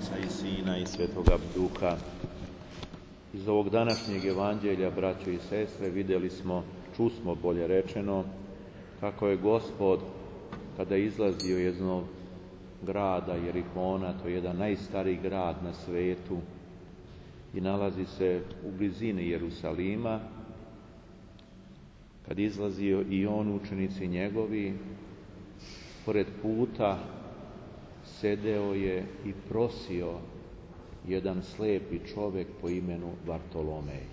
Oca i Sina i Svetoga Duha. Iz ovog današnjeg evanđelja, braćo i sestre, vidjeli smo, čusmo bolje rečeno, kako je Gospod, kada je izlazio iz jednog grada Jerihona, to je jedan najstariji grad na svetu i nalazi se u blizini Jerusalima, kad izlazio i on, učenici njegovi, pored puta sedeo je i prosio jedan slepi čovjek po imenu Vartolomej.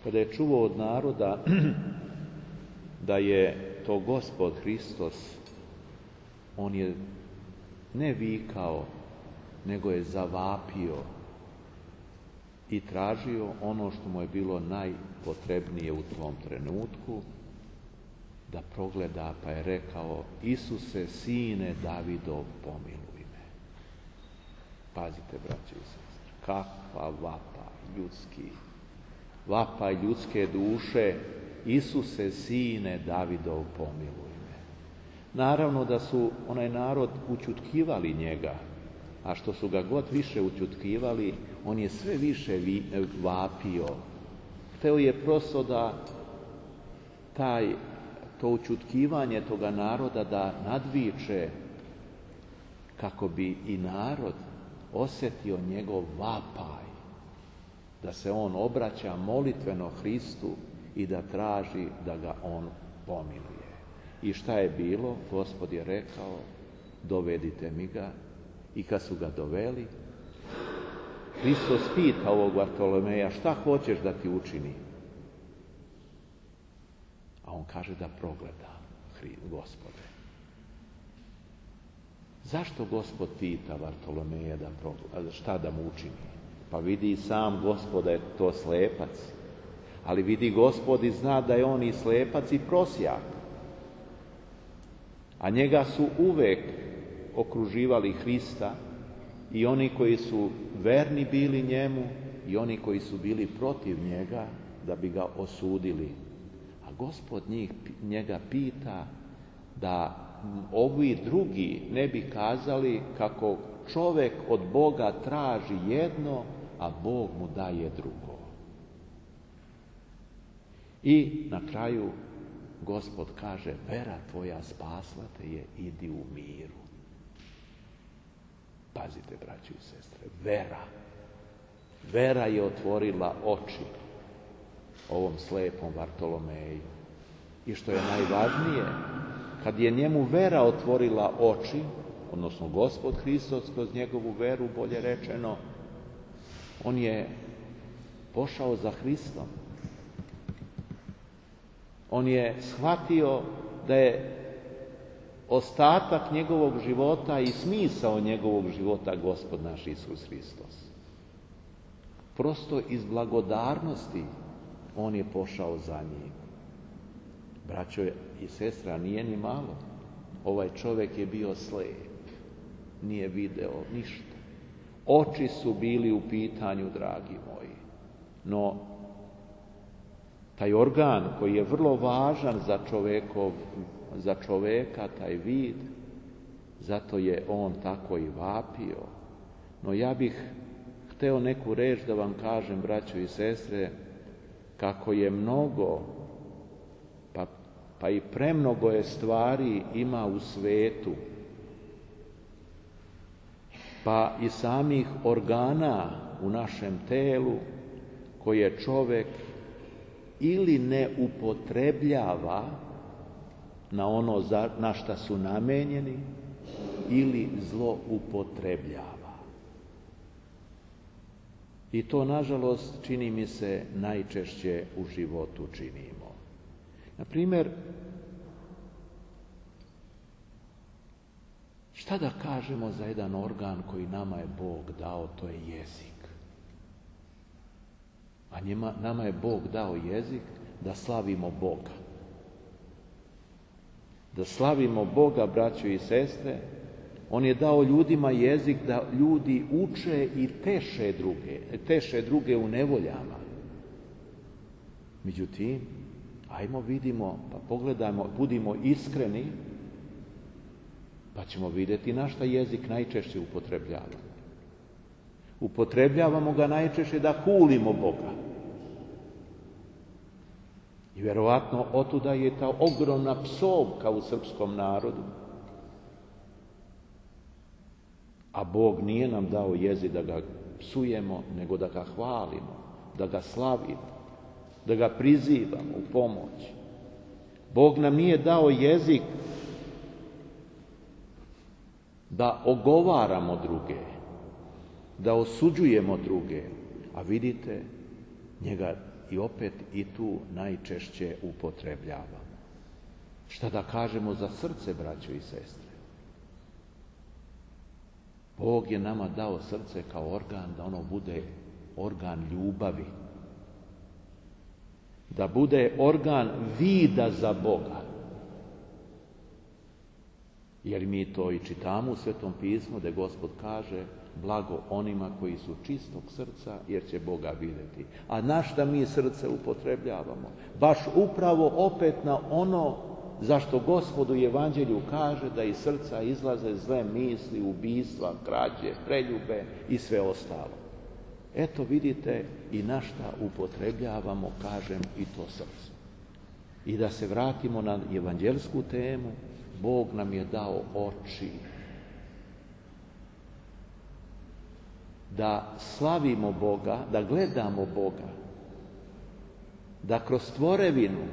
Kada je čuo od naroda da je to Gospod Hristos, on je ne vikao, nego je zavapio i tražio ono što mu je bilo najpotrebnije u tom trenutku, da progleda, pa je rekao: Isuse, sine Davidov, pomiluj me. Pazite, braći i sestre, kakva vapaj ljudske duše: Isuse, sine Davidov, pomiluj me. Naravno da su onaj narod ućutkivali njega, a što su ga god više ućutkivali, on je sve više vapio. Hteo je prosto da to ućutkivanje toga naroda da nadviče, kako bi i narod osjetio njegov vapaj, da se on obraća molitveno Hristu i da traži da ga on pomiluje. I šta je bilo? Gospod je rekao: dovedite mi ga. I kad su ga doveli, Hristos pita ovog Vartolomeja: šta hoćeš da ti učini? A on kaže da progleda Gospode. Zašto Gospod pita Vartolomeja šta da mu učini? Pa vidi sam Gospod da je to slepac, ali vidi Gospod i zna da je on i slepac i prosjak. A njega su uvek okruživali Hrista, i oni koji su verni bili njemu i oni koji su bili protiv njega, da bi ga osudili. A Gospod njega pita da ovi drugi ne bi kazali kako čovjek od Boga traži jedno, a Bog mu daje drugo. I na kraju Gospod kaže: vera tvoja spasla te je, idi u miru. Pazite, braći i sestre, vera je otvorila oči ovom slepom Vartolomeju. I što je najvažnije, kad je njemu vera otvorila oči, odnosno Gospod Hristos kroz njegovu veru, bolje rečeno, on je pošao za Hristom. On je shvatio da je ostatak njegovog života i smisao njegovog života Gospod naš Isus Hristos. Prosto iz blagodarnosti on je pošao za njim. Braćo i sestra, nije ni malo. Ovaj čovjek je bio slijep, nije video ništa. Oči su bili u pitanju, dragi moji. No, taj organ koji je vrlo važan za čovjeka, taj vid, zato je on tako i vapio. No ja bih hteo neku reč da vam kažem, braćo i sestre, kako je mnogo, pa i premnogo je stvari ima u svetu, pa i samih organa u našem telu, koje čovjek ili ne upotrebljava na ono na šta su namenjeni, ili zloupotrebljava. I to, nažalost, čini mi se, najčešće u životu činimo. Na primjer, šta da kažemo za jedan organ koji nama je Bog dao? To je jezik. A nama je Bog dao jezik da slavimo Boga. Da slavimo Boga, braćo i sestre. On je dao ljudima jezik da ljudi uče i teše druge u nevoljama. Međutim, ajmo vidimo, pa pogledajmo, budimo iskreni, Pa ćemo vidjeti na šta jezik najčešće upotrebljavamo. Upotrebljavamo ga najčešće da hulimo Boga. I vjerovatno otuda je ta ogromna psovka u srpskom narodu. A Bog nije nam dao jezik da ga psujemo, nego da ga hvalimo, da ga slavimo, da ga prizivamo u pomoć. Bog nam nije dao jezik da ogovaramo druge, da osuđujemo druge, a vidite, njega i opet i tu najčešće upotrebljavamo. Šta da kažemo za srce, braćo i sestre? Bog je nama dao srce kao organ, da ono bude organ ljubavi, da bude organ vida za Boga. Jer mi to i čitamo u Svetom pismu, da Gospod kaže: blago onima koji su čistog srca, jer će Boga vidjeti. A na šta mi srce upotrebljavamo? Baš upravo opet na ono zašto Gospod u Evanđelju kaže da iz srca izlaze zle misli, ubistva, krađe, preljube i sve ostalo. Eto vidite i na šta upotrebljavamo, kažem, i to srce. I da se vratimo na evanđelsku temu, Bog nam je dao oči da slavimo Boga, da gledamo Boga, da kroz tvorevinu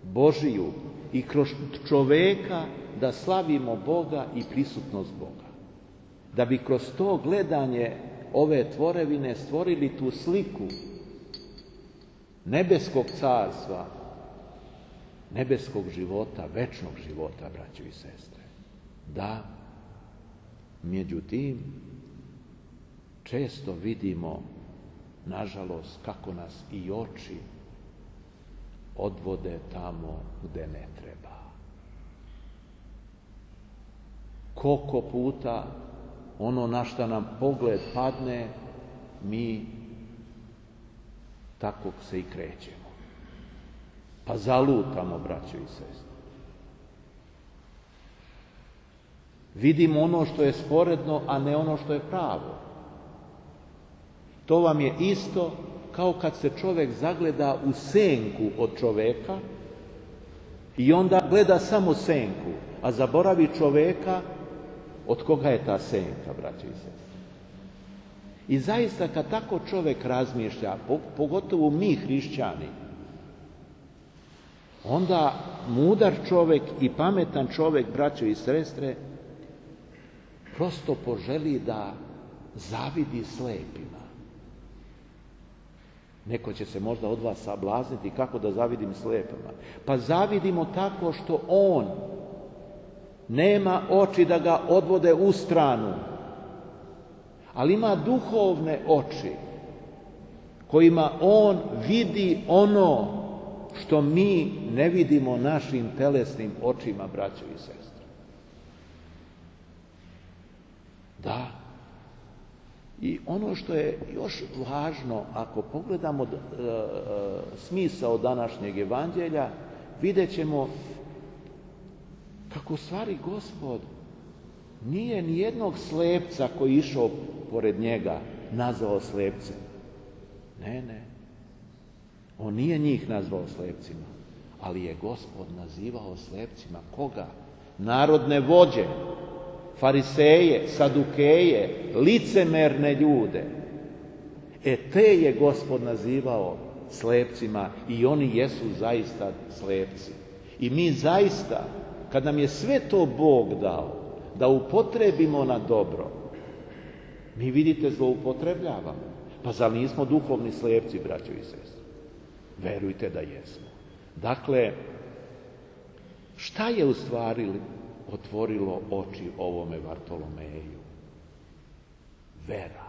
Božiju i kroz čoveka da slavimo Boga i prisutnost Boga. Da bi kroz to gledanje ove tvorevine stvorili tu sliku nebeskog carstva, nebeskog života, večnog života, braćo i sestre. Da, međutim, često vidimo, nažalost, kako nas i oči odvode tamo gde ne treba. Koliko puta ono na šta nam pogled padne, mi tako se i krećemo. Pa zalutamo, braćo i sestre. Vidimo ono što je sporedno, a ne ono što je pravo. To vam je isto kao kad se čovjek zagleda u senku od čoveka i onda gleda samo senku, a zaboravi čoveka od koga je ta senka, braćo i sestre. I zaista kad tako čovjek razmišlja, pogotovo mi hrišćani, onda mudar čovjek i pametan čovjek, braćo i sestre, prosto poželi da zavidi slepima. Neko će se možda od vas sablazniti kako da zavidim slepima. Pa zavidimo tako što on nema oči da ga odvode u stranu, ali ima duhovne oči kojima on vidi ono što mi ne vidimo našim telesnim očima, braćo i sestre. Da. I ono što je još važno, ako pogledamo smisao današnjeg evanđelja, vidjet ćemo kako u stvari Gospod nije ni jednog slepca koji je išao pored njega nazvao slepcem. Ne. On nije njih nazvao slepcima, ali je Gospod nazivao slepcima koga? Narodne vođe, fariseje, sadukeje, licemerne ljude. Te je Gospod nazivao slepcima i oni jesu zaista slepci. I mi zaista, kad nam je sve to Bog dao, da upotrebimo na dobro, mi vidite zloupotrebljavamo. Pa zar nismo duhovni slepci, braćo i sestre? Verujte da jesmo. Dakle, šta je u stvari otvorilo oči ovome Vartolomeju? Vera.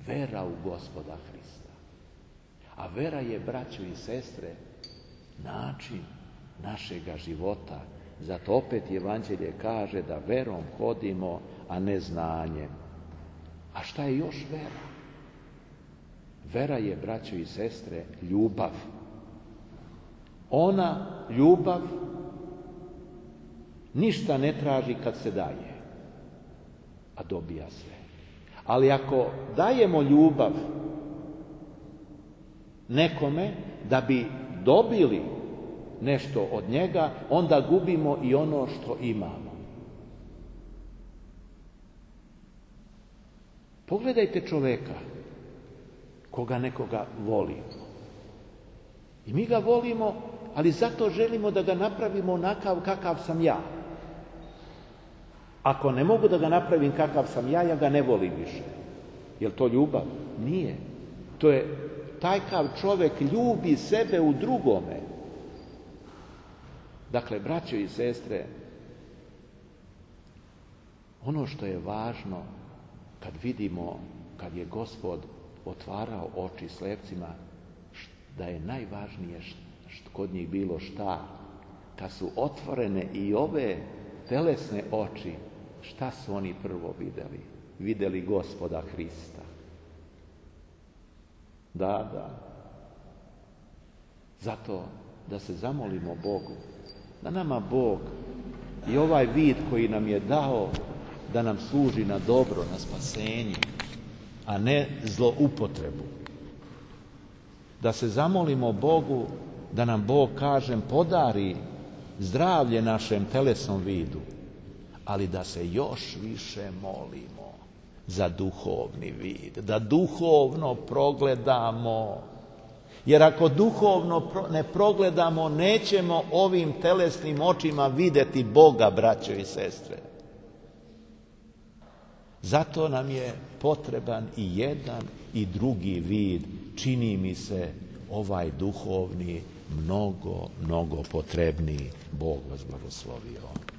Vera u Gospoda Hrista. A vera je, braćo i sestre, način našega života. Zato opet Evanđelje kaže da verom hodimo, a ne znanjem. A šta je još vera? Vera je, braćo i sestre, ljubav. Ona ljubav Ništa ne traži kad se daje, a dobija sve. Ali ako dajemo ljubav nekome da bi dobili nešto od njega, onda gubimo i ono što imamo. Pogledajte čoveka, koga nekoga volimo. I mi ga volimo, ali zato želimo da ga napravimo onakav kakav sam ja. Ako ne mogu da ga napravim kakav sam ja, ja ga ne volim više. Je li to ljubav? Nije. To je, takav čovjek ljubi sebe u drugome. Dakle, braćo i sestre, ono što je važno kad vidimo, kad je Gospod otvarao oči slepcima, da je najvažnije kod njih bilo šta? Kad su otvorene i ove telesne oči, šta su oni prvo vidjeli? Vidjeli Gospoda Hrista. Da. Zato da se zamolimo Bogu, da nama Bog i ovaj vid koji nam je dao, da nam služi na dobro, na spasenje, a ne zloupotrebu. Da se zamolimo Bogu da nam Bog, kažem, podari zdravlje našem telesnom vidu, ali da se još više molimo za duhovni vid, da duhovno progledamo. Jer ako duhovno ne progledamo, nećemo ovim telesnim očima vidjeti Boga, braćo i sestre. Zato nam je potreban i jedan i drugi vid. Čini mi se ovaj duhovni mnogo potrebniji. Bog vas blagoslovio.